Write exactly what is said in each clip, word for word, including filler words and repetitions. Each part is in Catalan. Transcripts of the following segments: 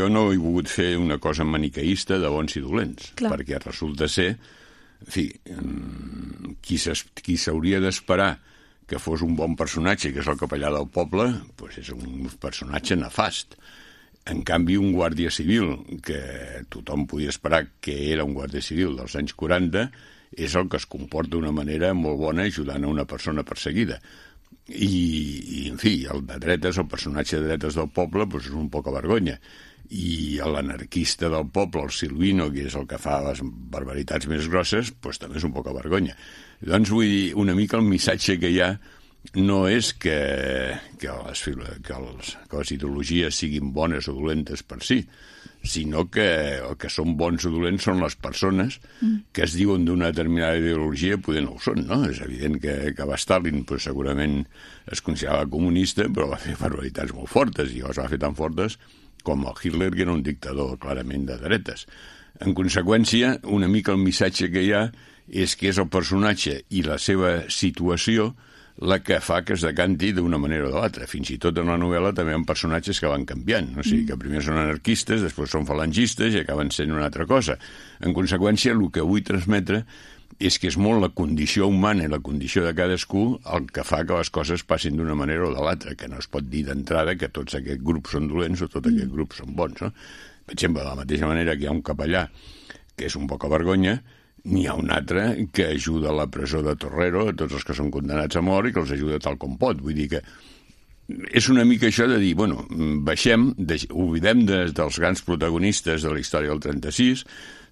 jo no he volgut fer una cosa maniqueista de bons i dolents, Clar. perquè resulta ser, en fi, qui s'hauria d'esperar que fos un bon personatge, que és el capellà del poble, doncs és un personatge nefast. En canvi, un guàrdia civil, que tothom podia esperar que era un guàrdia civil dels anys quaranta, és el que es comporta d'una manera molt bona ajudant a una persona perseguida. I, i en fi, el de dretes, el personatge de dretes del poble, doncs és un poca vergonya. I l'anarquista del poble, el Silvino, que és el que fa les barbaritats més grosses, doncs també és un poca vergonya. Doncs vull dir, una mica el missatge que hi ha no és que, que, les, que, els, que les ideologies siguin bones o dolentes per si, sinó que el que són bons o dolents són les persones que es diuen d'una determinada ideologia, poder no ho són, no? És evident que, que va Stalin pues, segurament es considerava comunista, però va fer barbaritats molt fortes, i les va fer tan fortes com el Hitler, que era un dictador clarament de dretes. En conseqüència, una mica el missatge que hi ha és que és el personatge i la seva situació la que fa que es decanti d'una manera o de l'altra. Fins i tot en la novel·la també hi ha personatges que van canviant. O sigui, que primer són anarquistes, després són falangistes i acaben sent una altra cosa. En conseqüència, el que vull transmetre és que és molt la condició humana i la condició de cadascú el que fa que les coses passin d'una manera o de l'altra, que no es pot dir d'entrada que tots aquests grups són dolents o tots aquests grups són bons, no? Per exemple, de la mateixa manera que hi ha un capellà que és un poca vergonya, n'hi ha un altre que ajuda a la presó de Torrero, a tots els que són condemnats a mort, i que els ajuda tal com pot. Vull dir que és una mica això de dir, bueno, baixem, oblidem de, dels grans protagonistes de la història del trenta-sis,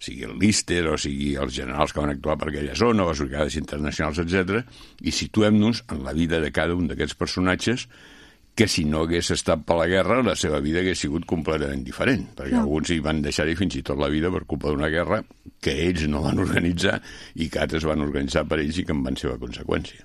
sigui el Lister o sigui els generals que van actuar per aquella zona, les brigades internacionals, etcètera, i situem-nos en la vida de cada un d'aquests personatges que si no hagués estat per la guerra, la seva vida hagués sigut completament diferent, perquè no. Alguns hi van deixar-hi fins i tot la vida per culpa d'una guerra que ells no van organitzar i que altres van organitzar per ells i que en van ser la conseqüència.